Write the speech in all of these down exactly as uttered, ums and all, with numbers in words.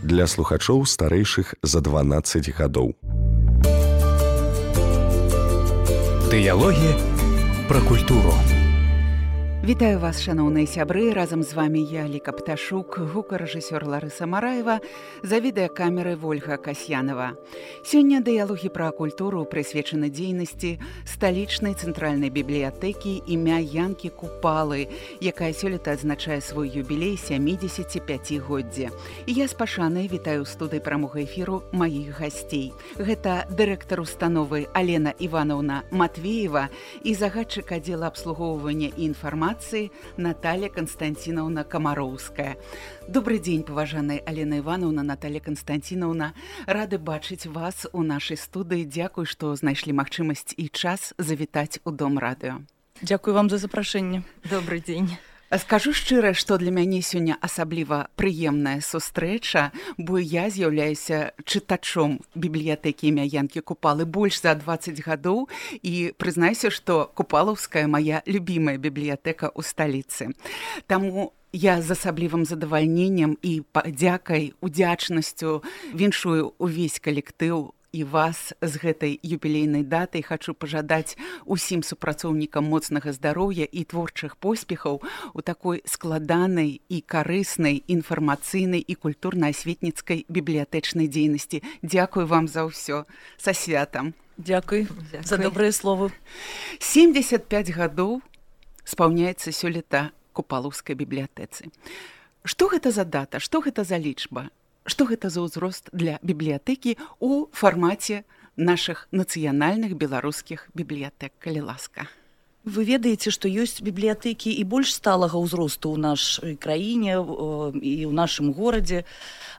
для слухачоў старэйшых за дванаццаць гадоў. Дыялогі пра культуру. Вітаю вас, шаноўныя сябры, разам з вамі я, Ліка Пташук, гукарэжысёр Ларыса Мараева, за відэакамерай Вольга Касьянова. Сёння дыялогі пра культуру прысвечаны дзейнасці сталічнай цэнтральнай бібліятэкі імя Янкі Купалы, якая сёлета адзначае свой юбілей сямідзесяціпяцігоддзя. І я з пашанай вітаю ў студыі прамога эфіру маіх гасцей. Гэта дырэктар установы Алена Івановна Матвеева і загадчык аддзела абслугоўвання і інфармацыі Наталья Константиновна Комароўская. Добрый день, паважаная Алена Ивановна, Наталья Константиновна. Рады бачыць вас у нашай студыі. Дзякуй, што знайшлі магчымасць і час завітаць у Дом радыё. Дзякуй вам за запрашэнне. Добрый дзень. Скажу шчыра, што для мяне сёння асабліва прыемная сустрэча, бо я з'яўляюся чытачом бібліятэкі імя Янкі Купалы больш за дваццаць гадоў і прызнаюся, што Купалаўская моя любімая бібліятэка ў сталіцы. Таму я з асаблівым задавальненнем і падзякай, удзячнасцю віншую увесь калектыў і вас з гэтай юбілейнай датай хачу пажадаць усім супрацоўнікам моцнага здароўя і творчых поспехаў у такой складанай і карыснай інфармацыйнай і культурна-асветніцкай бібліятэчнай дзейнасці. Дзякуй вам за ўсё. Са святам. Дзякуй, Дзякуй. за добрыя словы. семьдесят пять гадоў спаўняецца сёлета Купалаўскай бібліятэцы. Што гэта за дата? Што гэта за лічба? Што гэта за ўзрост для бібліятэкі ў фармаце нашых нацыянальных беларускіх бібліятэк, калі ласка? Вы ведаеце, што ёсць бібліятэкі і больш сталага ўзросту ў нашай краіне і ў нашым горадзе,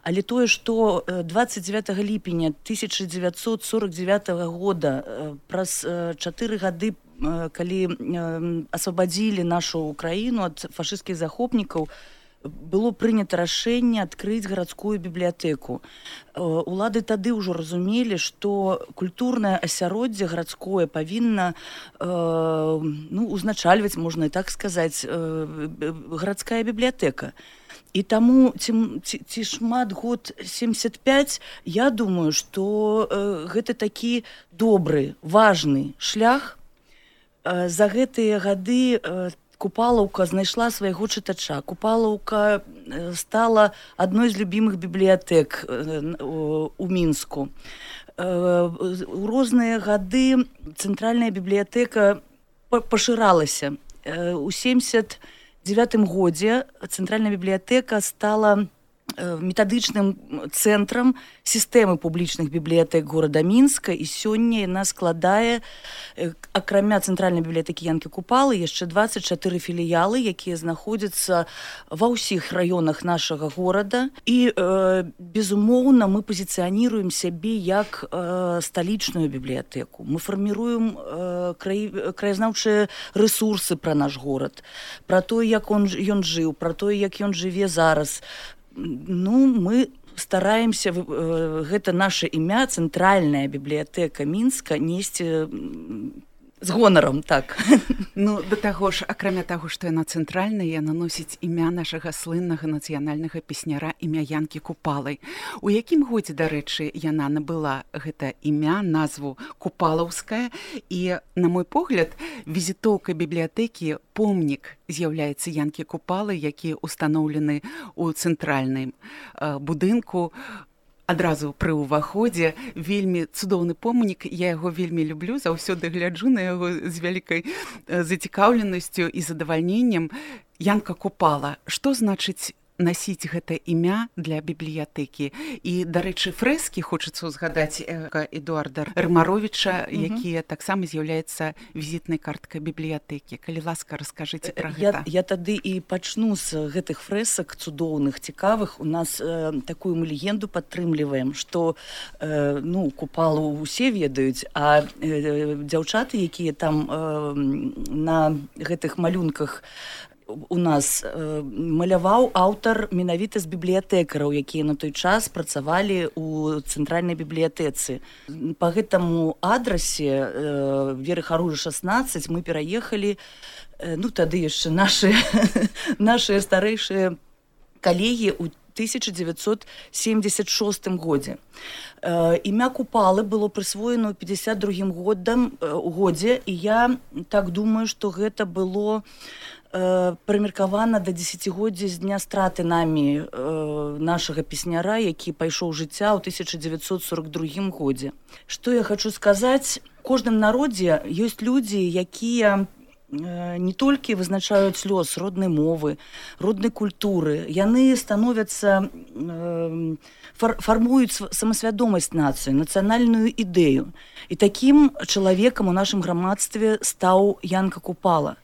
але тое, што дваццаць дзевятага ліпеня тысяча дзевяцьсот сорок дзевятага года, праз чатыры гады, калі асвабадзілі нашу краіну ад фашысцкіх захопнікаў, было прынята рашэнне адкрыць гарадскую бібліятэку. Улады тады ўжо разумелі, што культурнае асяроддзе гарадское павінна э, ну, узначальваць, можна і так сказаць, э, гарадская бібліятэка. І таму ці, ці, ці шмат год семьдесят пять, я думаю, што э, гэта такі добры, важны шлях. Э, за гэтыя гады э, Купалаўка знайшла свайго чытача. Купалаўка стала адной з любімых бібліятэк у Мінску. У розныя гады цэнтральная бібліятэка пашыралася. У семьдесят девятым годзе цэнтральная бібліятэка стала метадычным цэнтрам сістэмы публічных бібліятэк горада Мінска, і сёння яна складае, акрамя цэнтральнай бібліятэкі Янкі Купалы, яшчэ дваццаць чатыры філіялы, якія знаходзяцца ва ўсіх раёнах нашага горада. І, э, безумоўна, мы пазіцыяніруем сябе як э, сталічную бібліятэку. Мы фарміруем э, край, краязнаўчыя рэсурсы пра наш горад, пра тое, як он, ён жыў, пра тое, як ён жыве зараз. Ну, мы стараемся э, гэта наша імя, цэнтральная бібліятэка Мінска, несці з гонарам, так. Ну, да таго ж, акрамя таго, што яна цэнтральная, яна носіць імя нашага слыннага нацыянальнага песняра імя Янкі Купалы. У якім годзе, дарэчы, яна набыла гэта імя, назву Купалаўская, і, на мой погляд, візітоўка бібліятэкі, помнік з'яўляецца Янкі Купалы, які устаноўлены ў цэнтральным э, будынку. Адразу пры ўваходзе вельмі цудоўны помнік, я яго вельмі люблю, заўсёды гляджу на яго з вялікай зацікаўленасцю і задавальненнем. Янка Купала. Што значыць насіць гэта імя для бібліятэкі? І, дарэчы, фрэскі хочацца ўзгадаць Эдуарда Рымаровіча, mm-hmm. якія таксама з'яўляецца візітнай карткай бібліятэкі. Калі ласка, раскажыце пра гэта. Я, я тады і пачну з гэтых фрэсак цудоўных, цікавых. У нас э, такую мы легенду падтрымліваем, што э, ну, Купалу усе ведаюць, а э, дзяўчаты, якія там э, на гэтых малюнках у нас э, маляваў аўтар менавіта з бібліятэкараў, якія на той час працавалі ў цэнтральнай бібліятэцы. Па гэтаму адрасе э, Веры Харужы шаснаццаць мы пераехалі, э, ну тады яшчэ нашы, нашы старэйшыя калегі ў тысяча девятьсот семьдесят шестым годзе. Імя Купалы было прысвоена ў пятьдесят другім годам годзе, і я так думаю, што гэта было прымеркавана да дзесяцігоддзя з дня страты намі нашага песняра, які пайшоў жыцця ў тысяча девятьсот сорок другім годзе. Што я хочу сказаць, у кожным народзе ёсць людзі, якія не толькі вызначаюць лёс роднай мовы, роднай культуры, яны становяцца, фармуюць самасвядомасць нацыі, нацыянальную ідэю. І такім чалавекам у нашым грамадстве стаў Янка Купала.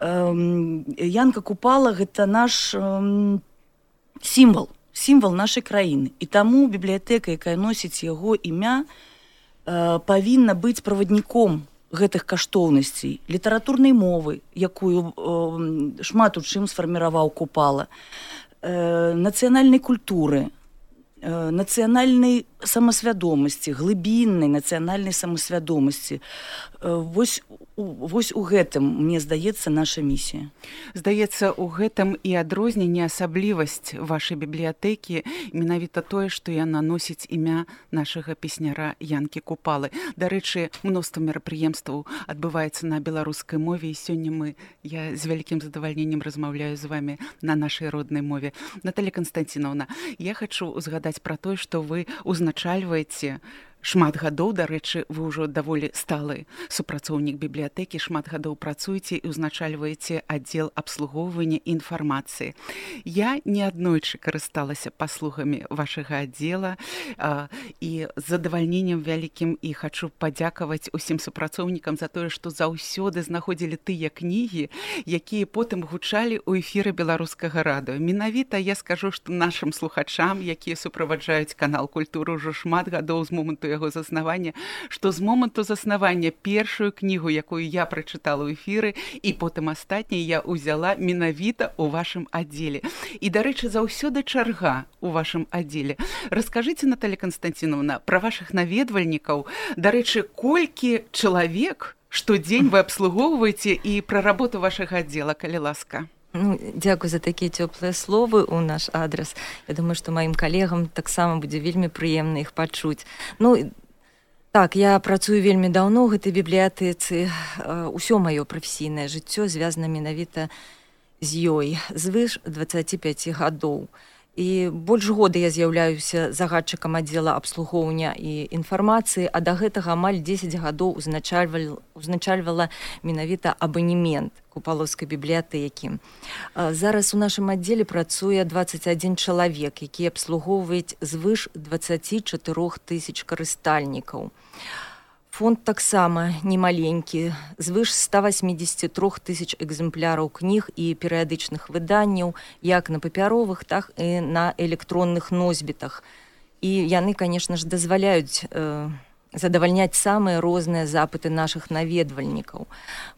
Янка Купала – гэта наш сімвал, сімвал нашай краіны. І таму бібліятэка, якая носіць яго імя, павінна быць правадніком гэтых каштоўнасцей, літаратурнай мовы, якую шмат у чым сфарміраваў Купала, нацыянальнай культуры, нацыянальнай самасвядомасці, глыбіннай нацыянальнай самасвядомасці. Вось, вось у гэтым, мне здаецца, наша місія. Здаецца, у гэтым і адрозненне, асаблівасць вашай бібліятэкі, менавіта тое, што яна носіць імя нашага песняра Янкі Купалы. Дарэчы, мноства мерапрыемстваў адбываецца на беларускай мове, і сёння мы, я з вялікім задавальненнем размаўляю з вамі на нашай роднай мове. Наталья Константиновна, я хочу узгадаць пра тое, што вы узначальваеце шмат гадоў, дарэчы, вы ўжо даволі сталы супрацоўнік бібліятэкі, шмат гадоў працуеце і ўзначальваеце аддзел абслугоўвання інфармацыі. Я неаднойчы карысталася паслугамі вашага аддзела а, і з задавальненнем вялікім і хачу падзякаваць усім супрацоўнікам за тое, што заўсёды знаходзілі тыя кнігі, якія потым гучалі ў эфіры беларускага радыё. Менавіта я скажу, што нашым слухачам, якія суправаджаюць канал Культура ўжо шмат гадоў з моманту яго заснавання, што з моманту заснавання першую кнігу, якую я прачытала ў эфіры, і потым астатняй я ўзяла менавіта ў вашым аддзеле. І, дарэчы, заўсёды чарга ў вашым аддзеле. Раскажыце, Наталья Константиновна, пра вашых наведвальнікаў. Дарэчы, колькі чалавек штодзень вы абслугоўваеце і пра работу вашага аддзела, калі ласка? Ну, дзякую за такія цёплыя словы ў наш адрас. Я думаю, што маім калегам таксама будзе вельмі прыемна іх пачуць. Ну, так, я працую вельмі даўно ў гэтай бібліятэцы. Усё маё прафесійнае жыццё звязана менавіта з ёй, звыш дваццаці пяці гадоў. І больш года я з'яўляюся загадчыкам аддзела абслугоўвання і інфармацыі, а да гэтага амаль дзесяць гадоў узначальвала, узначальвала менавіта абанемент Купалаўскай бібліятэкі. Зараз у нашым аддзеле працуе дваццаць адзін чалавек, які абслугоўваюць звыш дваццаці чатырох тысяч карыстальнікаў. Фонд таксама немаленькі, звыш ста васьмідзесяці трох тысяч экземпляраў кніг і перыядычных выданняў, як на папяровых, так і на электронных носьбітах. І яны, конечно ж, дазваляюць э, задавальняць самыя розныя запыты нашых наведвальнікаў.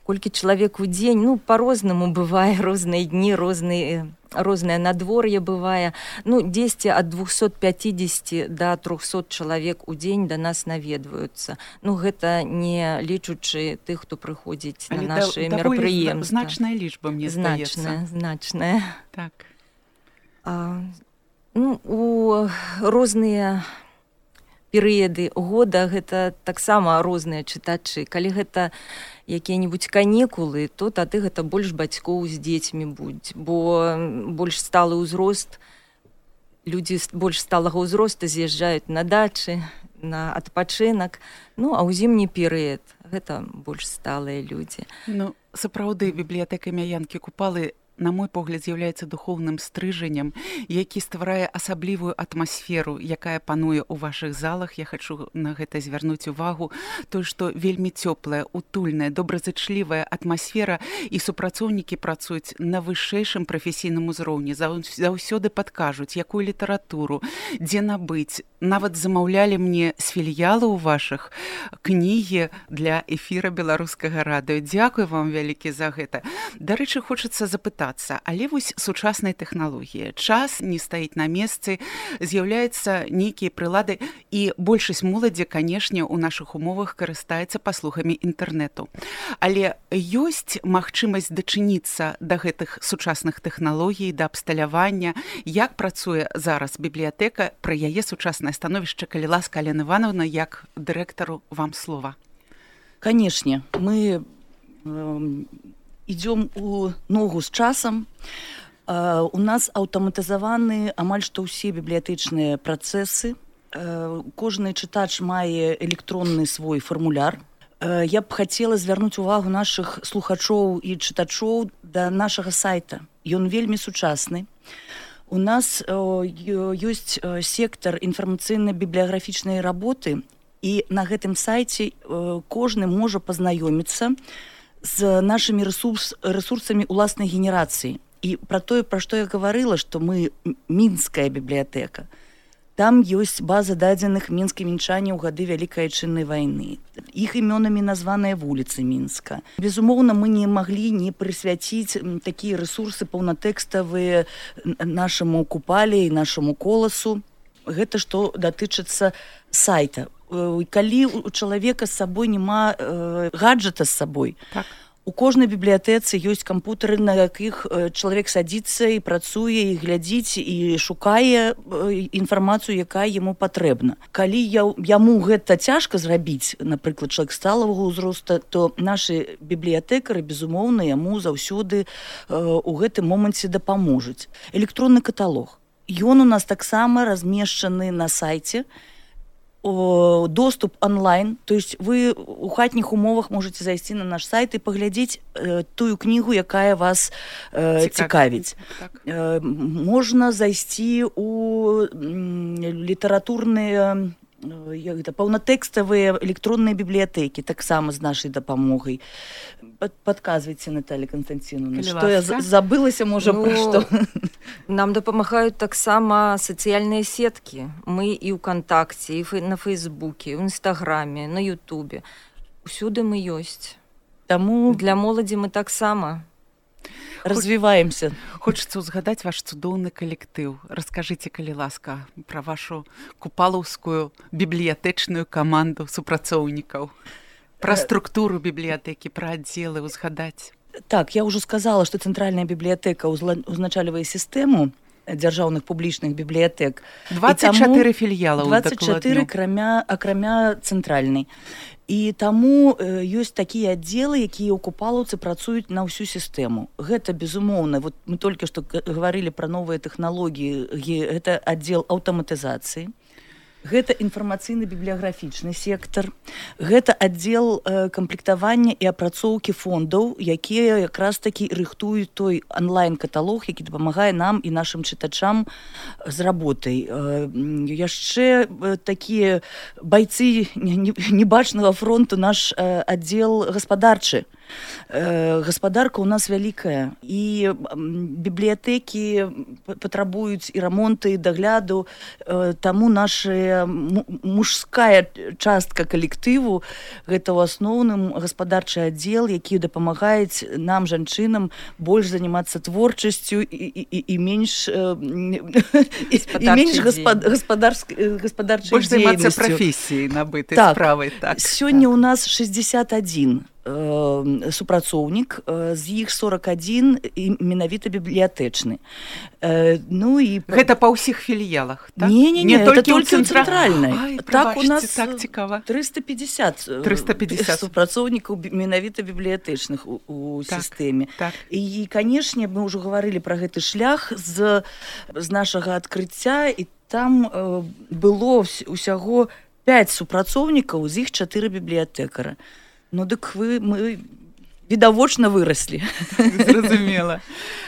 Колькі чалавек у дзень, ну, па-рознаму бывае, розныя дні, розныя, рознае надвор'е бывае. Ну, дзесьці ад двухсот пяцідзесяці да трохсот чалавек у дзень да нас наведваюцца. Ну, гэта не лічучы тых, хто прыходзіць на нашы да, мерапрыемствы. Значная лічба, мне здаецца. Значная, значная. Так. А, ну, у розныя перыяды года гэта таксама розныя чытачы. Калі гэта якія-небудзь канікулы, то тады гэта больш бацькоў з дзецьмі будзе, бо больш сталы ўзрост, людзі больш сталага ўзросту з'язджаюць на дачы, на адпачынак. Ну, а ў зімні перыяд гэта больш сталыя людзі. Ну, сапраўды, бібліятэка імя Янкі Купалы, на мой погляд, з'яўляецца духоўным стрыжаннем, які стварае асаблівую атмасферу, якая пануе ў вашых залах. Я хачу на гэта звярнуць увагу. Тое, што вельмі цёплая, утульная, добразычлівая атмасфера, і супрацоўнікі працуюць на вышэйшым прафесійным узроўні. Заўсёды падкажуць, якую літаратуру, дзе набыць. Нават замаўлялі мне з філіялаў вашых кнігі для эфіра беларускага радыё. Дзякую вам вялікі за гэта. Дарэчы, хочацца запытаць, карыстацца, але вось сучаснай тэхналогіі. Час не стаіць на месцы, з'яўляюцца нейкія прылады, і большасць моладзі, канешне, у нашых умовах карыстаецца паслугамі інтэрнэту. Але ёсць магчымасць дачыніцца да гэтых сучасных тэхналогій, да абсталявання. Як працуе зараз бібліятэка, пра яе сучаснае становішча, калі ласка, Алена Івановна, як дырэктару вам слова. Конечно, мы э, идем у ногу с часом. Э, у нас аўтаматызаваны амаль што ўсе бібліятэчныя працэсы. Э, кожны чытач мае электронны свой фармуляр. Э, я б хацела звярнуць увагу нашых слухачоў і чытачоў да нашага сайта. Ён вельмі сучасны. У нас э, ёсць сектар інфармацыйна-бібліяграфічнай работы, і на гэтым сайце э, кожны можа пазнаёміцца з нашымі ресурс, ресурсамі уласнай генерацыі. І пра тое, пра што я гаварыла, што мы мінская бібліятэка. Там ёсць база дадзеных мінскай мінчане ў гады Вялікай Айчыннай вайны. Іх імёнамі названыя вуліцы Мінска. Безумоўна, мы не маглі не прысвяціць такія ресурсы паўнатэкставыя нашаму Купалі і нашаму Коласу. Гэта што датычыцца сайта. Калі у чалавека з сабой няма э, гаджета з сабой, так. У кожнай бібліятэцы ёсць кампутары, на якіх чалавек садзіцца і працуе, і глядзіць, і шукае інфармацыю, якая яму патрэбна. Калі я, яму гэта цяжка зрабіць, напрыклад, чалавек сталага ўзроста, то нашы бібліятэкары, безумоўна, яму заўсёды э, у гэтым моманце дапаможуць. Электронны каталог. Ён у нас таксама размешчаны на сайце, доступ онлайн, то есть вы у хатніх умовах можете зайсці на наш сайт і паглядзець э, тую кнігу, якая вас э, цікавіць. Так. Э, можна зайсці у літаратурныя э, паўнатэкставыя электронныя бібліятэкі, таксама з нашай дапамогай. Подказвайце, Наталья Константиновна, што я забылася, можа, ну, пра што. Нам дапамагаюць таксама сацыяльныя сеткі. Мы і ў кантакце, і на Фейсбуке, ў Інстаграме, на Ютубе. Усюды мы ёсць. Таму для моладзі мы таксама развіваемся. Хочацца ўзгадаць ваш цудоўны калектыў. Раскажыце, калі ласка, пра вашу купалаўскую бібліятэчную каманду супрацоўнікаў. Пра структуру бібліятэкі, пра аддзелы ўзгадаць. Так, я ўжо сказала, што цэнтральная бібліятэка узначальвае сістэму дзяржаўных публічных бібліятэк. дваццаць чатыры філіяла. дваццаць чатыры акрамя, акрамя цэнтральнай. І таму э, ёсць такія аддзелы, якія ў Купалаўцы працуюць на ўсю сістэму. Гэта, безумоўна, вот мы толькі што гаварылі пра новыя тэхналогіі, гэта аддзел аўтаматызацыі. Гэта інфармацыйна-бібліяграфічны сектар, гэта аддзел э, камплектавання і апрацоўкі фондаў, якія якраз такі рыхтуюць той онлайн-каталог, які дапамагае нам і нашым чытачам з работай. Э, яшчэ э, такія байцы небачнага фронту наш э, аддзел гаспадарчы. Э, гаспадарка у нас вялікая, і бібліятэкі патрабуюць і рамонты, і дагляду, э, таму наша мужская частка калектыву гэта ў асноўным гаспадарчы аддзел, які дапамагаюць нам, жанчынам, больш занимацца творчасцю і, і, і, і менш э, і менш гаспадарчай дзейнасцю. Больш займацца прафесіяй набытай так, справай. Так, сёння так. У нас шэсцьдзесят адзін супрацоўнік, з іх сорок адзін і менавіта бібліятэчны. Ну і гэта па ўсіх філіялах, так? Не, не, не, не это толькі ў цэнтральнай. Ай, так у нас так цікава. триста пятьдесят супрацоўнікаў менавіта бібліятэчных у, у так, сістэме. Так. І, канешне, мы ўжо гаварылі пра гэты шлях з, з нашага адкрыцця, і там э, было ўсяго пяць супрацоўнікаў, з іх чатыры бібліятэкара. Ну, дык вы, мы відавочна выраслі. Зразумела.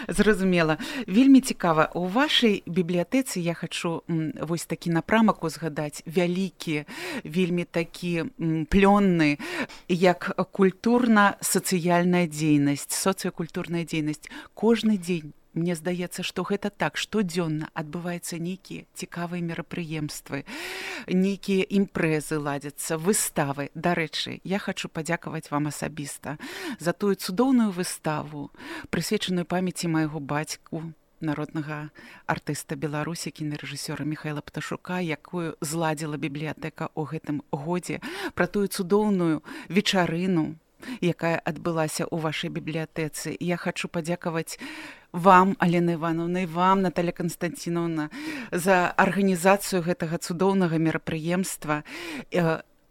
Зразумела. Вельмі цікава. У вашай бібліятэцы я хачу м, вось такі напрамак узгадаць, вялікі, вельмі такі м, плённы, як культурна-сацыяльная дзейнасць, соцыякультурная дзейнасць. Кожны дзень мне здаецца, што гэта так, штодзённа адбываюцца нейкія цікавыя мерапрыемствы, нейкія імпрэзы ладзяцца, выставы. Дарэчы, я хочу падзякаваць вам асабіста за тую цудоўную выставу, прысвечаную памяці майго бацьку, народнага артыста Беларусі, кінарэжысёра Міхайла Пташука, якую зладзіла бібліятэка ў гэтым годзе, пра тую цудоўную вечарыну, якая адбылася ў вашай бібліятэцы. Я хочу падзякаваць вам, Алена Івановна, і вам, Наталья Константиновна, за арганізацыю гэтага цудоўнага мерапрыемства,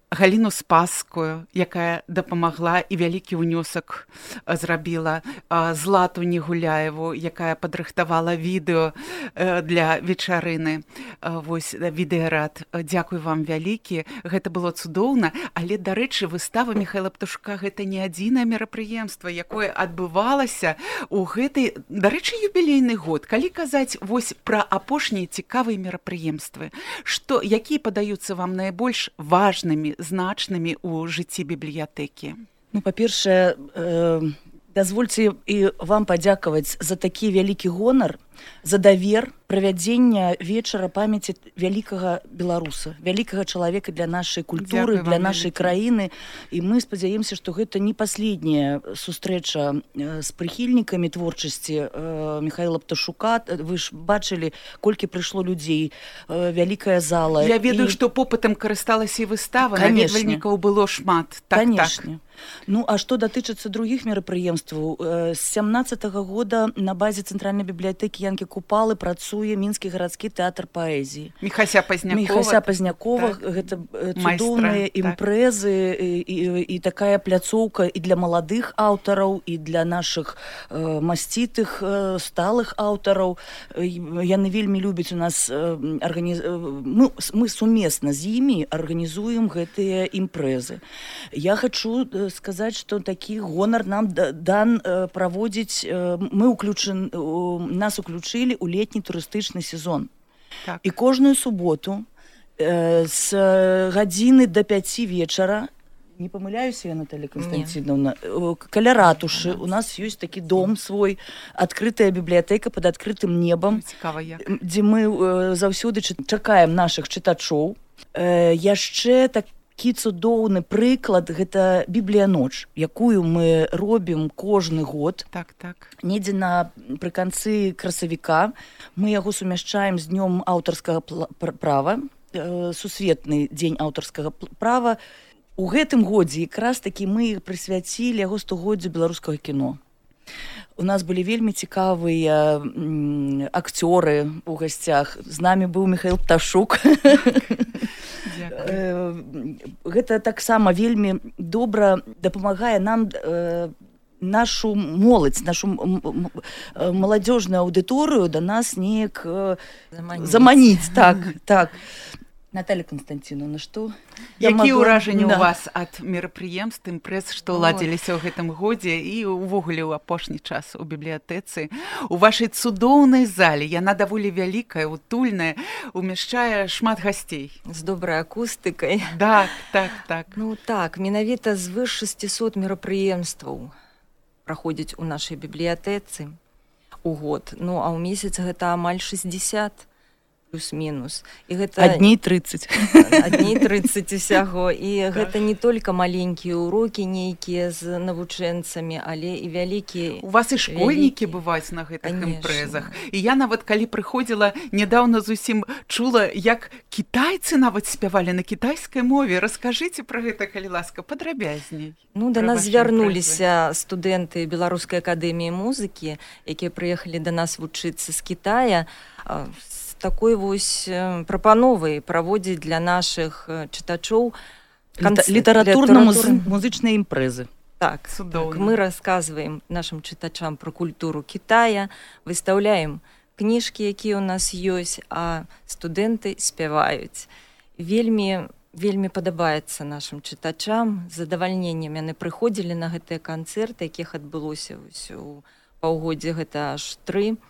Галіну Спасскую, якая дапамагла і вялікі ўнёсак зрабіла, Злату Негуляеву, якая падрыхтавала відэо для вечарыны. Вось відэарад. Дзякуй вам вялікі. Гэта было цудоўна, але, дарэчы, выстава Міхайла Пташука гэта не адзінае мерапрыемства, якое адбывалася ў гэты, дарэчы, юбілейны год. Калі казаць вось пра апошнія цікавыя мерапрыемствы, што якія падаюцца вам найбольш важнымі, значнымі ў жыцці бібліятэкі? Ну, па-першае, э, дазвольце і вам падзякаваць за такі вялікі гонар, за давер правядзення вечара памяці вялікага беларуса, вялікага чалавека для нашай культуры, для нашай краіны. І мы спадзяемся, што гэта не паследняя сустрэча з прыхільнікамі творчасці Міхайла Пташука. Вы ж бачылі, колькі прыйшло людзей, вялікая зала. Я ведаю, і... што попытам карысталася і выстава, наведвальнікаў было шмат. Так, Конечно. Так. Ну, а што датычыцца другіх мерапрыемстваў, з сямнаццатага года на базе Цэнтральнай бібліятэкі Янкі Купалы працуе мінскі гарадскі тэатр паэзіі. Міхася Пазнякова. Міхася Пазнякова, так. Гэта цудоўныя імпрэзы, так. і, і, і такая пляцоўка і для маладых аўтараў, і для нашых э, масцітых, э, сталых аўтараў. Яны вельмі любяць у нас э, арганиз... мы, мы сумесна з імі арганізуем гэтыя імпрэзы. Я хочу сказаць, што такі гонар нам дан э, праводзіць, э, мы уключен, э, нас уключылі ў летні турыстычны сезон. Так. І кожную суботу э, з гадзіны да пяці вечара, не памыляюся я, Наталья Константиновна, каля ратушы у нас ёсць такі дом свой, адкрытая бібліятэка пад адкрытым небам, цікава, дзе мы э, заўсёды чакаем нашых чытачоў. Э, яшчэ так такі цудоўны прыклад, гэта бібліяноч, якую мы робім кожны год. Так, так. Недзе напрыканцы красавіка мы яго сумяшчаем з днём аўтарскага права, сусветны дзень аўтарскага права. У гэтым годзе якраз такі мы прысвяцілі яго стагоддзю беларускага кіно. У нас былі вельмі цікавыя акцёры ў гасцях. З намі быў Міхайл Пташук. Гэта таксама вельмі добра дапамагае нам э, нашу моладзь, нашу маладзёжную аўдыторыю да нас неяк э, заманіць. заманіць. Так, так. Наталья Константиновна, што? Якія ўражанні да. у вас ад мерапрыемств, імпрэз, што ладзіліся ў гэтым годзе і ўвогуле ў апошні час у бібліятэцы, у вашай цудоўнай зале? Яна даволі вялікая, утульная, умяшчае шмат гасцей. З добрай акустыкай. Так, так, так. Ну так, менавіта звыш шасцісот мерапрыемстваў праходзіць у нашай бібліятэцы у год. Ну, а ў месяц гэта амаль шэсцьдзесят. Плюс-мінус. І гэта... Адні трыццаць. Адні трыццаць усяго. І гэта не толькі маленькія ўрокі нейкія з навучэнцамі, але і вялікія... У вас і школьнікі бываюць на гэтых імпрэзах. І я нават, калі прыходзіла, нядаўна зусім чула, як кітайцы нават спявалі на кітайскай мове. Раскажыце пра гэта, калі ласка, падрабязней. Ну, да нас звярнуліся студэнты Беларускай акадэміі музыкі, якія прыехалі да нас вучыцца з Кітая, такой вось прапановай праводзіць для нашых чытачоў канц... літаратурна-музычныя імпрэзы. Так, так, мы расказваем нашым чытачам пра культуру Кітая, выстаўляем кніжкі, якія ў нас ёсць, а студэнты спяваюць. Вельмі, вельмі падабаецца нашым чытачам, з задавальненнем яны прыходзілі на гэтыя канцэрты, якіх адбылося у паўгоддзе, гэта аж тры.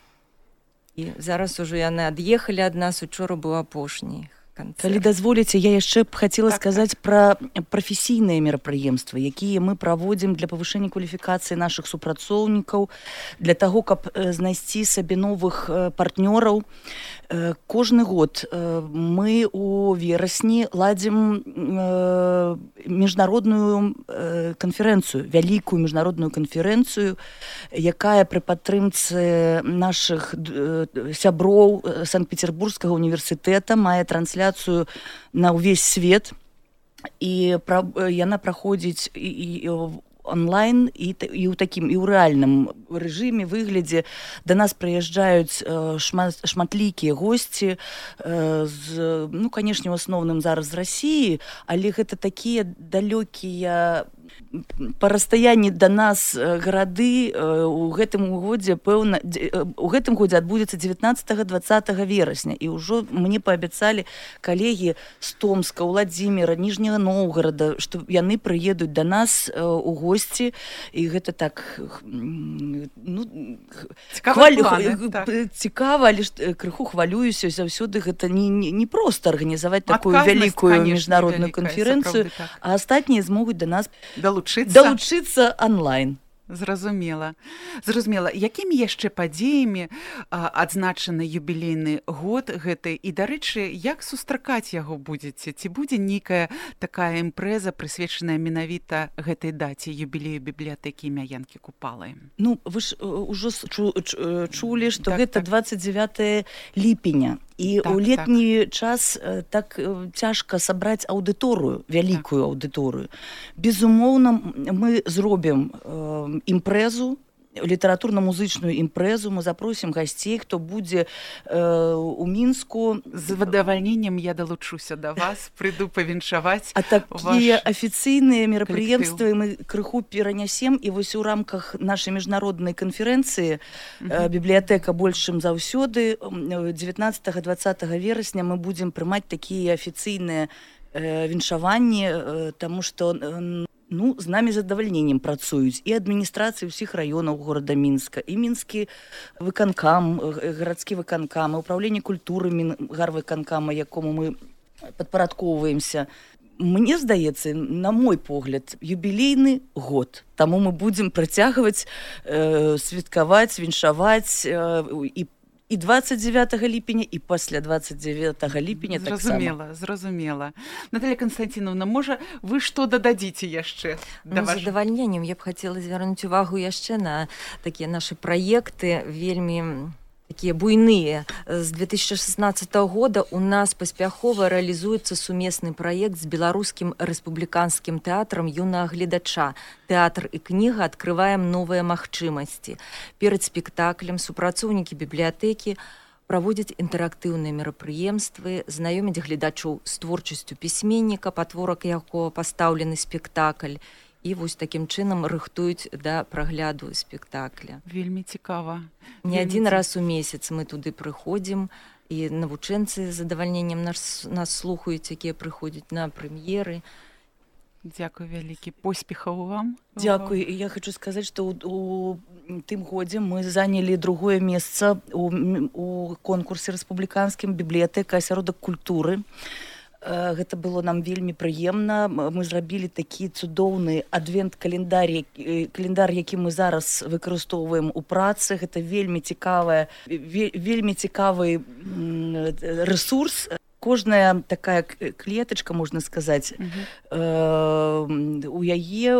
І зараз ужо яны ад'ехалі ад нас, учора быў апошні канцэрт. Калі дазволіце, я яшчэ б хацела так, сказаць так. пра прафесійныя мерапрыемствы, якія мы праводзім для павышэння кваліфікацыі нашых супрацоўнікаў, для таго, каб знайсці сабе новых партнёраў. Кожны год мы у верасні ладзім міжнародную канферэнцыю, вялікую міжнародную канферэнцыю, якая пры падтрымцы нашых сяброў Санкт-Петербургскага універсітэта мае трансляцыю на ўвесь свет, і яна праходзіць і онлайн і, і ў такім і ў рэальным рэжыме, выглядзе. Да нас прыязджаюць шмат, шматлікія госці з, ну, канешне, у асноўным зараз з Расіі, але гэта такія далёкія па расстаянні да нас гарады. У гэтым годзе пэўна у гэтым годзе адбудзецца дзевятнаццатага дваццатага верасня, і ўжо мне паабяцалі калегі з Томска, Уладзіміра, Ніжняга Новгарада, што яны прыедуць да нас у госці, і гэта так, ну, хваль... так. цікава, але крыху хвалююся заўсёды. Гэта не, не, не проста арганізаваць такую вялікую міжнародную канферэнцыю, так. А астатнія змогуць да нас далучыцца далучыцца онлайн. Зразумела. Зразумела, якімі яшчэ падзеямі адзначаны юбілейны год гэты, і, дарэчы, як сустракаць яго будзеце? Ці будзе нейкая такая імпрэза, прысвечаная менавіта гэтай даце юбілею бібліятэкі імя Янкі Купалы? Ну, вы ж ужо чу, чулі, што так, гэта так. дваццаць дзевятага ліпеня. І так, у летні так. час так цяжка сабраць аўдыторыю, вялікую так. аўдыторыю. Безумоўна, мы зробім э, імпрэзу, літаратурна-музычную імпрэзу, мы запросім гасцей, хто будзе э, у Мінску. З задавальненнем я далучуся да вас, прыйду павіншаваць. А такія афіцыйныя мерапрыемствы мы крыху перанясем, і вось у рамках нашай міжнароднай канферэнцыі э, бібліятэка больш чым заўсёды дзевятнаццатага дваццатага верасня мы будзем прымаць такія афіцыйныя э, віншаванні, э, таму што э, ну, з намі з задавальненнем працуюць і адміністрацыі ўсіх раёнаў горада Мінска, і мінскі выканкам, гарадскі выканкам, і ўпраўленне культуры гарвыканкама, якому мы падпарадкоўваемся. Мне здаецца, на мой погляд, юбілейны год. Таму мы будзем працягваць э, святкаваць, віншаваць э, і і дваццаць дзевятага ліпеня, і пасля дваццаць дзевятага ліпеня таксама. Зразумела, зразумела. Наталья Константиновна, можа, вы што дададзіце яшчэ? Ну, ваш... з задавальненнем я б хацела звярнуць увагу яшчэ на такія нашы праекты, вельмі такія буйныя. З две тысячи шестнадцатого года у нас паспяхова рэалізуецца сумесны праект з беларускім рэспубліканскім тэатрам юнага гледача. Тэатр і кніга адкрываем новыя магчымасці. Перад спектаклем супрацоўнікі бібліятэкі праводзяць інтэрактыўныя мерапрыемствы, знаёмяць гледачоў з творчасцю пісьменніка, па творах якога пастаўлены спектакль, і вось такім чынам рыхтуюць да прагляду спектакля. Вельмі цікава. Не адзін раз у месяц мы туды прыходзім, і навучэнцы з задавальненнем нас, нас слухаюць, якія прыходзяць на прэм'еры. Дзякуй вялікі. Поспехаў вам. Дзякуй. І я хочу сказаць, што у, у тым годзе мы занялі другое месца у, у конкурсе рэспубліканскім бібліятэка асяродак культуры. Гэта было нам вельмі прыемна. Мы зрабілі такі цудоўны адвент-календар, календар, які мы зараз выкарыстоўваем у працы. Гэта вельмі цікавая, вельмі цікавы рэсурс. Кожная такая клетачка, можна сказаць, uh-huh. у яе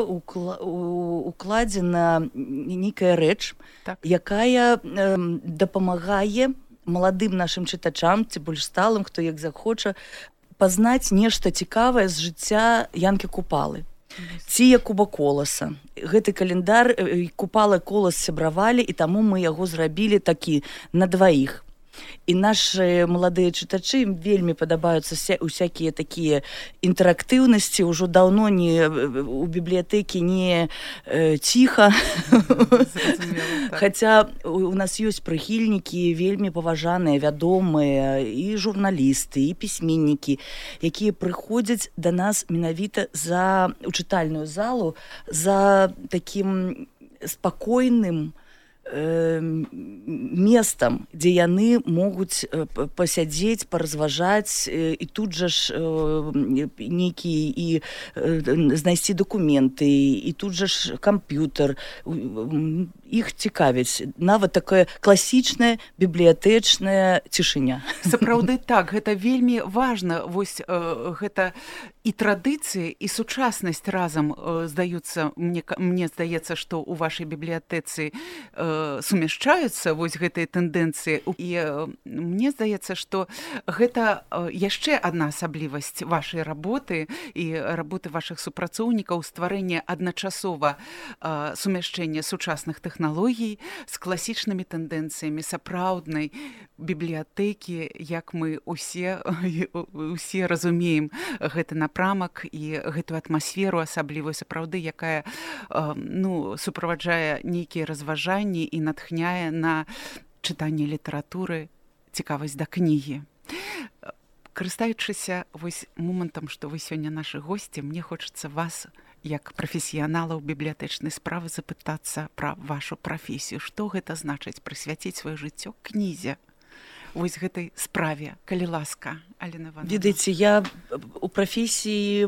укладзена нейкая рэч, так. якая дапамагае маладым нашым чытачам, ці больш сталым, хто як захоча, пазнаць нешта цікавае з жыцця Янкі Купалы. Ці Якуба Коласа. Гэты календар Купала Колас сябравалі, і таму мы яго зрабілі такі на дваіх. І нашы маладыя чытачы вельмі падабаюцца усякія такія інтэрактыўнасці. Ужо даўно не у бібліятэкі не э, ціха. Так. Хаця у нас ёсць прыхільнікі вельмі паважаныя, вядомыя, і журналісты, і пісьменнікі, якія прыходзяць да нас менавіта за у чытальную залу за такім спакойным месцам, дзе яны могуць пасядзець, паразважаць і тут жа ж нейкія і знайсці дакументы, і тут жа ж камп'ютар. Іх цікавіць нават такая класічная бібліятэчная цішыня. Сапраўды так, гэта вельмі важна. Вось гэта і традыцыі, і сучаснасць разам здаюцца, мне, мне здаецца, што ў вашай бібліятэцы сумяшчаюцца вось гэтыя тэндэнцыі. І мне здаецца, што гэта яшчэ адна асаблівасць вашай работы і работы вашых супрацоўнікаў, стварэнне адначасова сумяшчэння сучасных тэхналогій з класічнымі тэндэнцыямі сапраўднай бібліятэкі, як мы усе, усе разумеем гэты напрамак і гэту атмасферу асаблівую сапраўды, якая ну, суправаджае нейкія разважанні і натхняе на чытанне літаратуры, цікавасць да кнігі. Карыстаючыся вось момантам, што вы сёння нашы госці, мне хочацца вас, як прафесіянала ў бібліятэчнай справы, запытацца пра вашу прафесію. Што гэта значыць прысвяціць сваё жыццё кнізе? Вось гэтай справе, калі ласка, Алена Івановна. Ведаеце, я у прафесіі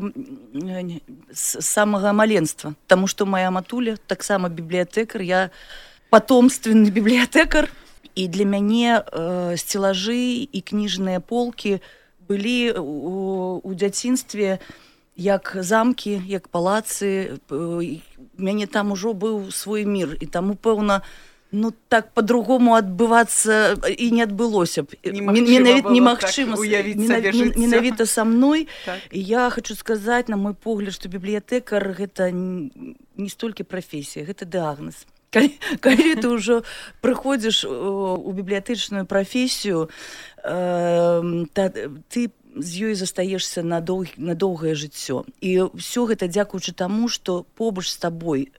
з самага маленства, таму што моя матуля таксама бібліятэкар, я патомственны бібліятэкар, і для мяне э, сцелажы і кніжныя полкі былі у, у дзяцінстве як замкі, як палацы. У мяне там ужо быў свой мір, і таму, пэўна, ну так по-другому адбывацца і не адбылося б. Немагчыма менавіта са мной. Так. І я хочу сказаць, на мой погляд, што бібліятэкар гэта не столькі прафесія, гэта дыягназ. Калі, калі ты ўжо прыходзіш у бібліятэчную прафесію, э, та, ты з ёй застаешся на, доўг, на доўгае жыццё. І ўсё гэта дзякуючы таму, што побач з табой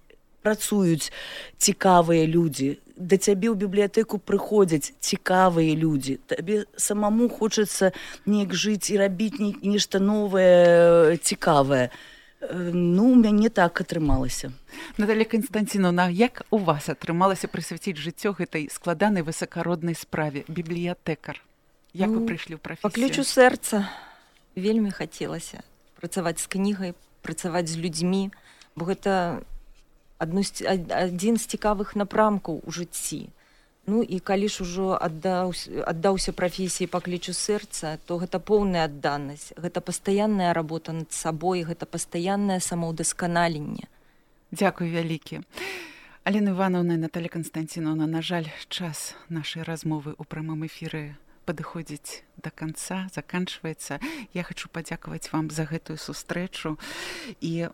працуюць цікавыя людзі. Да цябе ў бібліятэку прыходзяць цікавыя людзі. Табе самому хочацца неяк жыць і рабіць нешта новае, цікавае. Ну, у мяне так атрымалася. Наталья Константиновна, як у вас атрымалася прысвяціць жыццё гэтай складанай высакароднай справе, бібліятэкар? Як ну, вы прыйшлі ў прафесію? Па ключу сэрца вельмі хацелася працаваць з кнігай, працаваць з людзьмі, бо гэта адну, адзін з цікавых напрамкаў у жыцці. Ну і калі ж ужо аддаўся, аддаўся прафесіі па клічу сэрца, то гэта поўная адданасць, гэта пастаянная работа над сабой, гэта пастаяннае самаўдасканаленне. Дзякуй вялікі. Алена Івановна і Наталья Константиновна, на жаль, час нашай размовы ў прамым эфіры падыходзіць да канца, заканчваецца. Я хочу падзякаваць вам за гэтую сустрэчу і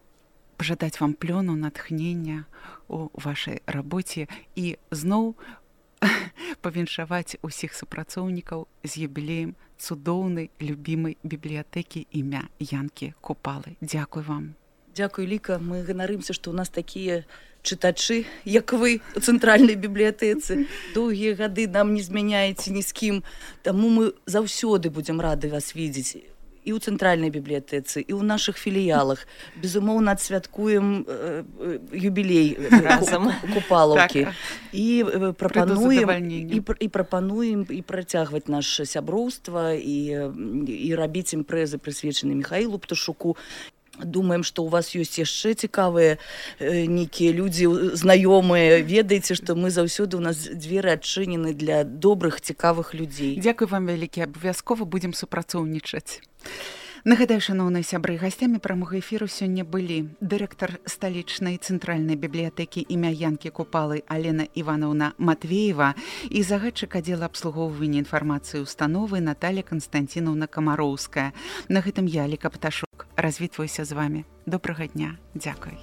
пажадаць вам плёну, натхнення у вашай рабоце і зноў павіншаваць усіх супрацоўнікаў з юбілеем цудоўнай, любімай бібліятэкі імя Янкі Купалы. Дзякуй вам. Дзякуй, Ліка. Мы ганарымся, што ў нас такія чытачы, як вы, у цэнтральнай бібліятэцы. Доўгія гады нам не змяняеце ні з кім, таму мы заўсёды будзем рады вас видзець. І ў цэнтральнай бібліятэцы, і ў нашых філіялах. Безумоўна, адсвяткуем э, юбілей разам Купалаўкі. Так. І прапануем, і, і прапануем і працягваць наше сяброўства, і, і рабіць імпрэзы, прысвечаныя Міхаілу Птушуку. Думаем, што у вас ёсць яшчэ цікавыя э, нейкія людзі, знаёмыя. Ведаеце, што мы заўсёды, у нас дзверы адчынены для добрых, цікавых людзей. Дзякуй вам вялікі, абавязкова будзем супрацоўнічаць. Нагадаю, шаноўныя сябры, гасцямі прамога эфіру сёння былі дырэктар сталічнай цэнтральнай бібліятэкі імя Янкі Купалы Алена Івановна Матвеева і загадчык аддзела абслугоўвання інфармацыі установы Наталья Константиновна Камароўская. На гэтым я, Ліка Пташук, развітваюся з вами. Добрага дня. Дзякуй.